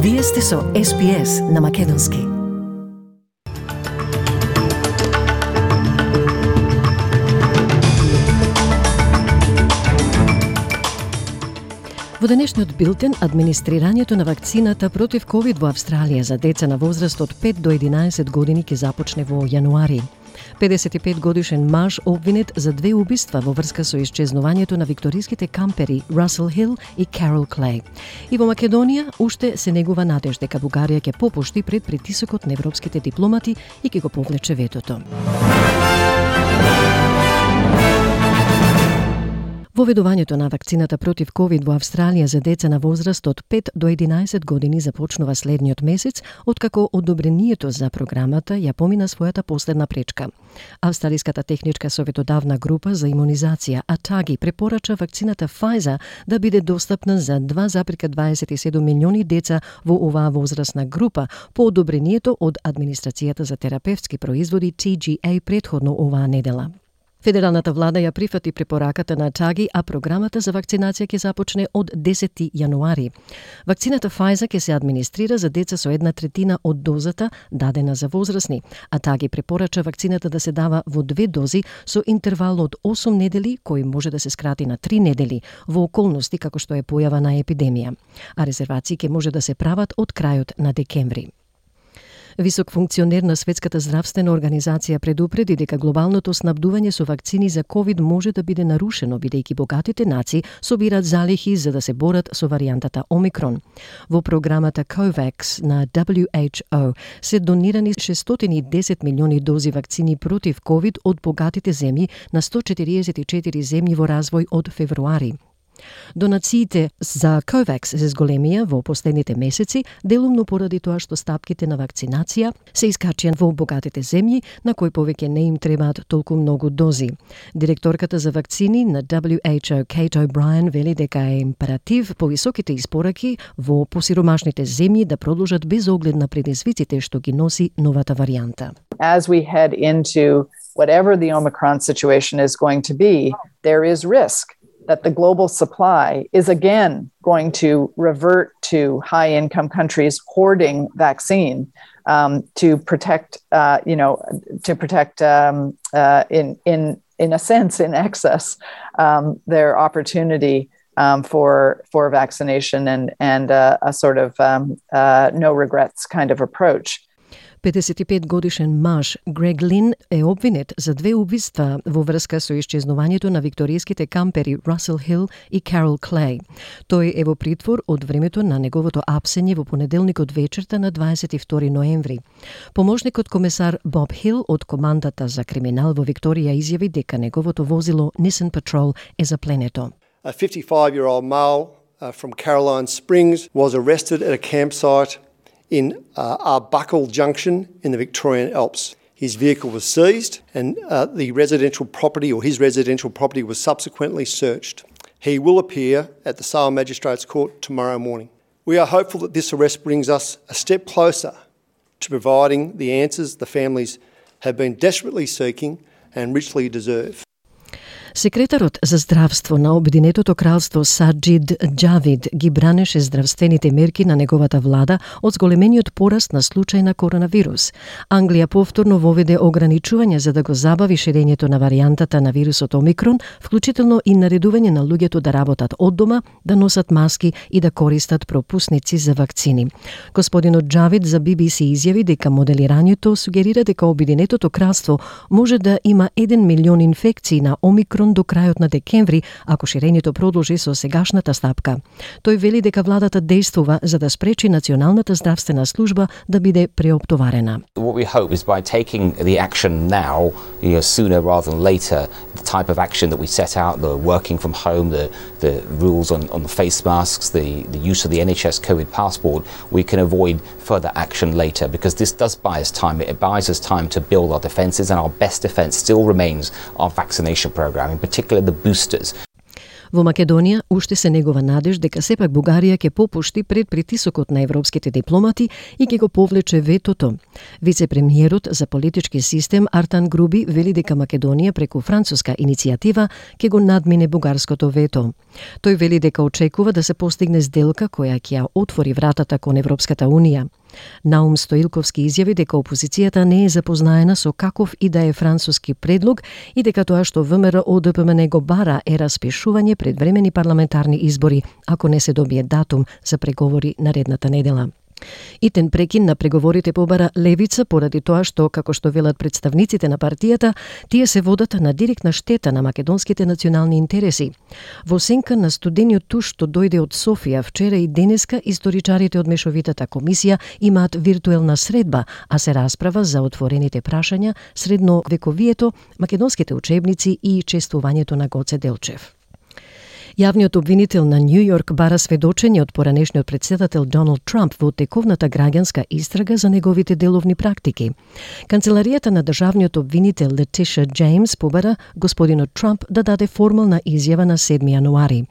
Вие сте со SPS на Македонски. Во денешниот билтен, администрирањето на вакцината против COVID во Австралија за деца на возраст од 5 до 11 години ќе започне во јануари. 55 годишен маж обвинет за 2 убиства во врска со исчезнувањето на викториските кампери Расел Хил и Карол Клей. И во Македонија уште се негува надеж дека Бугарија ќе попушти пред притисокот на европските дипломати и ќе го повлече ветото. Воведувањето на вакцината против COVID во Австралија за деца на возраст од 5 до 11 години започнува следниот месец, откако одобрението за програмата ја помина својата последна пречка. Австралиската техничка советодавна група за имунизација ATAGI препорача вакцината Pfizer да биде достапна за 2,27 милиони деца во оваа возрастна група по одобрението од Администрацијата за терапевтски производи TGA претходно оваа недела. Федералната влада ја прифати препораката на ATAGI, а програмата за вакцинација ќе започне од 10 јануари. Вакцината Pfizer ќе се администрира за деца со 1/3 од дозата дадена за возрастни. ATAGI препорача вакцината да се дава во 2 дози со интервал од 8 недели, кој може да се скрати на 3 недели во околности како што е појава на епидемија. А резервации ќе може да се прават од крајот на декември. Висок функционер на Светската здравствена организација предупреди дека глобалното снабдување со вакцини за COVID може да биде нарушено, бидејќи богатите нации собираат залихи за да се борат со варијантата Омикрон. Во програмата COVAX на WHO се донирани 610 милиони дози вакцини против COVID од богатите земји на 144 земји во развој од февруари. Донациите за COVAX се зголемија во последните месеци, делумно поради тоа што стапките на вакцинација се искачија во богатите земји, на кои повеќе не им требаат толку многу дози. Директорката за вакцини на WHO, Kate O'Brien, вели дека е императив повисоките испораки во посиромашните земји да продолжат без оглед на предизвиците што ги носи новата варијанта. As we head into whatever the Omicron situation is going to be, there is risk that the global supply is again going to revert to high-income countries hoarding vaccine to protect, in a sense, in excess, their opportunity for vaccination and a sort of no regrets kind of approach. 55 годишен маж Грег Лин е обвинет за 2 убиства во врска со исчезнувањето на викториските кампери Расел Хил и Карол Клей. Тој е во притвор од времето на неговото апсење во понеделникот вечерта на 22 ноември. Помошникот комесар Боб Хил од командата за криминал во Викторија изјави дека неговото возило Nissan Patrol е запленето. A 55-year-old male from Caroline Springs was arrested at a campsite in Arbuckle Junction in the Victorian Alps. His vehicle was seized and his residential property was subsequently searched. He will appear at the Sale Magistrates Court tomorrow morning. We are hopeful that this arrest brings us a step closer to providing the answers the families have been desperately seeking and richly deserve. Секретарот за здравство на Обединетото кралство Саџид Џавид ги бранеше здравствените мерки на неговата влада од зголемениот пораст на случај на коронавирус. Англија повторно воведе ограничувања за да го забави ширењето на варијантата на вирусот Омикрон, вклучително и наредување на луѓето да работат од дома, да носат маски и да користат пропусници за вакцини. Господинот Џавид за BBC изјави дека моделирањето сугерира дека Обединетото кралство може да има 1 милион инфекции на Омикрон до крајот на декември, ако ширењето продолжи со сегашната стапка. Тој вели дека владата действува за да спречи Националната здравствена служба да биде преоптоварена. What we hope is by taking the action now, sooner rather than later, the type of action that we set out, the working from home, the rules on the face masks, the use of the NHS COVID passport, we can avoid further action later because this does buy us time. It buys us time to build our defences, and our best defence still remains our vaccination programme, in particular the boosters. Во Македонија уште се негова надеж дека сепак Бугарија ќе попушти пред притисокот на европските дипломати и ќе го повлече ветото. Вице-премиерот за политички систем Артан Груби вели дека Македонија преку француска иницијатива ќе го надмине бугарското вето. Тој вели дека очекува да се постигне сделка која ќе ја отвори вратата кон Европската унија. Наум Стоилковски изјави дека опозицијата не е запознаена со каков и да е француски предлог и дека тоа што ВМРО-ДПМН го бара е распишување предвремени парламентарни избори, ако не се добие датум за преговори наредната недела. Итен прекин на преговорите побара левица поради тоа што, како што велат представниците на партијата, тие се водат на директна штета на македонските национални интереси. Во сенка на студениот туш што дојде од Софија вчера и денеска, историчарите од Мешовитата комисија имаат виртуелна средба, а се расправа за отворените прашања, средновековието, македонските учебници и чествувањето на Гоце Делчев. Јавниот обвинител на Нью Йорк бара сведочење од поранешниот претседател Доналд Трамп во тековната граѓанска истрага за неговите деловни практики. Канцеларијата на државниот обвинител Летиша Джеймс побара господинот Трамп да даде формална изјава на 7 јануари.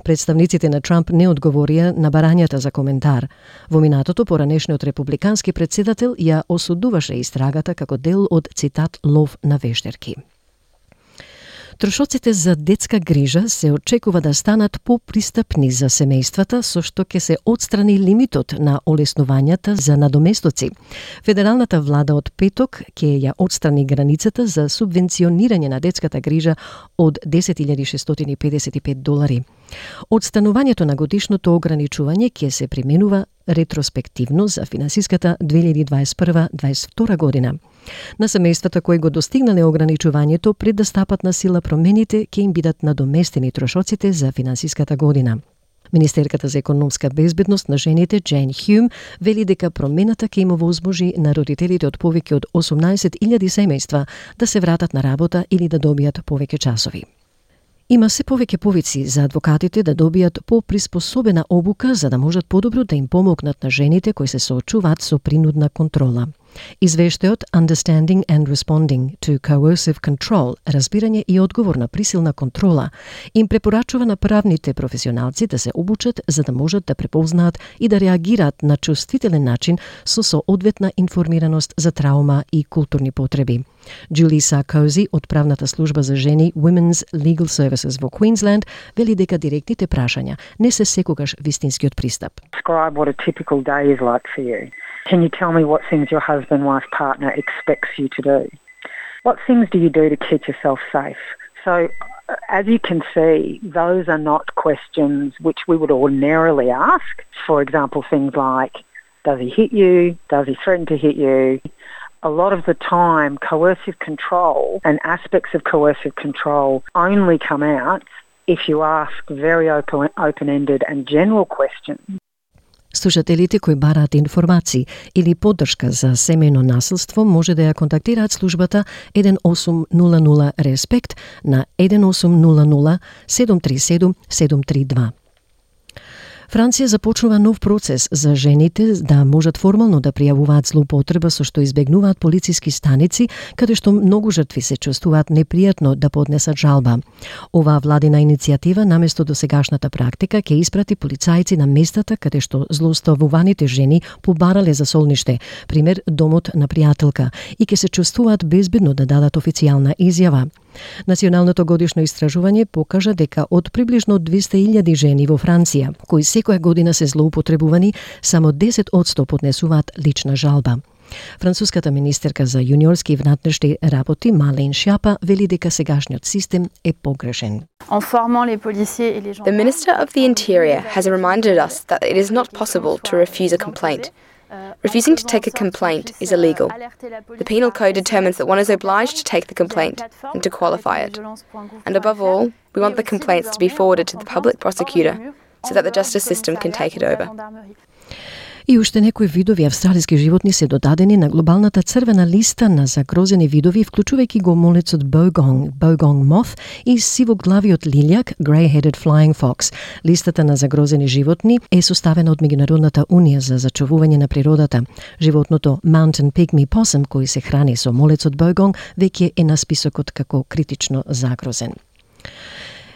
Представниците на Трамп не одговорија на барањата за коментар. Во минатото поранешниот републикански претседател ја осудуваше истрагата како дел од, цитат, лов на вештерки. Трошоците за детска грижа се очекува да станат попристапни за семејствата, со што ќе се отстрани лимитот на олеснувањата за надоместоци. Федералната влада од петок ќе ја отстрани границата за субвенционирање на детската грижа од $10,655. Отстанувањето на годишното ограничување ќе се применува ретроспективно за финансиската 2021-2022 година. На семејствата кои го достигнале ограничувањето пред да стапат на сила промените ќе им бидат надоместени трошоците за финансиската година. Министерката за економска безбедност на жените Джейн Хјум вели дека промената ќе им овозможи на родителите од повеќе од 18,000 семејства да се вратат на работа или да добијат повеќе часови. Има се повеќе повици за адвокатите да добијат поприспособена обука за да можат подобро да им помогнат на жените кои се соочуваат со принудна контрола. Извештајот Understanding and Responding to Coercive Control, разбирање и одговор на присилна контрола, им препорачува на правните професионалци да се обучат за да можат да препознаат и да реагираат на чувствителен начин со соодветна информираност за траума и културни потреби. Джули Саркози од правната служба за жени Women's Legal Services во Queensland вели дека директните прашања не се секогаш вистинскиот пристап. Describe what a typical day is like for you. Can you tell me what things your husband, wife, partner expects you to do? What things do you do to keep yourself safe? So, as you can see, those are not questions which we would ordinarily ask. For example, things like, does he hit you? Does he threaten to hit you? A lot of the time, coercive control and aspects of coercive control only come out if you ask very open-ended and general questions. Слушателите кои бараат информации или поддршка за семејно насилство може да ја контактираат службата 1800 Респект на 1800 737 732. Франција започнува нов процес за жените да можат формално да пријавуваат злоупотреба со што избегнуваат полициски станици, каде што многу жртви се чувствуваат непријатно да поднесат жалба. Оваа владина иницијатива наместо досегашната практика ќе испрати полицајци на местата каде што злоставуваните жени побарале за солниште, пример домот на пријателка, и ќе се чувствуваат безбедно да дадат официјална изјава. Националното годишно истражување покажа дека од приближно 200,000 жени во Франција, кои секоја година се злоупотребувани, само 10% поднесуваат лична жалба. Француската министерка за јуниорски и внатрешни работи Мален Шјапа вели дека сегашниот систем е погрешен. The Minister of the Interior has reminded us that it is not possible to refuse a complaint. Refusing to take a complaint is illegal. The Penal Code determines that one is obliged to take the complaint and to qualify it. And above all, we want the complaints to be forwarded to the public prosecutor so that the justice system can take it over. И уште некои видови австралиски животни се додадени на глобалната црвена листа на загрозени видови, вклучувајќи го молецот bogong moth и сивоглавиот лилјак grey-headed flying fox. Листата на загрозени животни е составена од Меѓународната унија за зачувување на природата. Животното mountain pygmy possum, кој се храни со молецот bogong, веќе е на списокот како критично загрозен.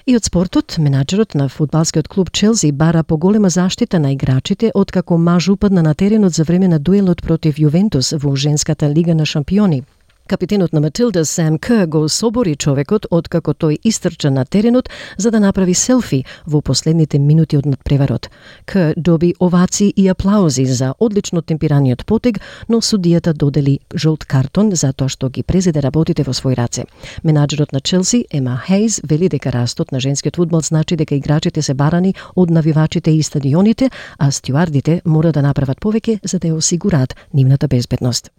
И од спортот, менаџерот на фудбалскиот клуб Челси бара поголема заштита на играчите откако маж упадна на теренот за време на дуелот против Јувентус во женската лига на шампиони. Капитенот на Матилда Сам Кер го собори човекот откако тој истрча на теренот за да направи селфи во последните минути од надпреварот. Кер доби овации и аплаузи за одлично темпираниот потег, но судијата додели жолт картон за тоа што ги презеде работите во свој раце. Менаџерот на Челси, Ема Хейз, вели дека растот на женскиот фудбал значи дека играчите се барани од навивачите и стадионите, а стюардите мора да направат повеќе за да ја осигураат нивната безбедност.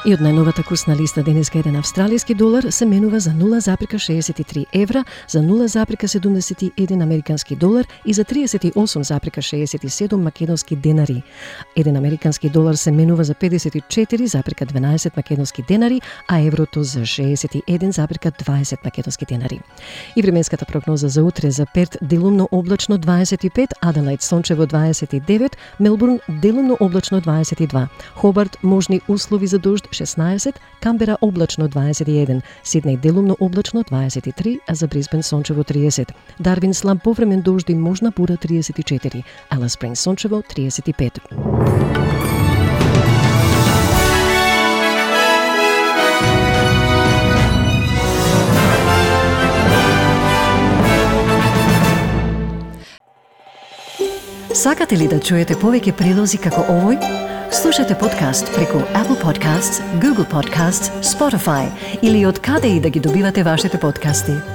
И од најновата курсна листа денеска еден австралиски долар се менува за 0,63 евра, за 0,71 американски долар и за 38,67 македонски денари. Еден американски долар се менува за 54,12 македонски денари, а еврото за 61,20 македонски денари. И временската прогноза за утре: за Перт делумно облачно 25, Аделаид сончево 29, Мелбурн делумно облачно 22, Хобарт можни услови за дожд 16, Камбера облачно 21, Сиднеј делумно облачно 23, а за Брисбен сончево 30, Дарвин слаб повремен дожд и можна бура 34, Алис Спрингс сончево 35. Сакате ли да чуете повеќе прилози како овој? Слушате подкаст преку Apple Podcasts, Google Podcasts, Spotify или од каде и да ги добивате вашите подкасти.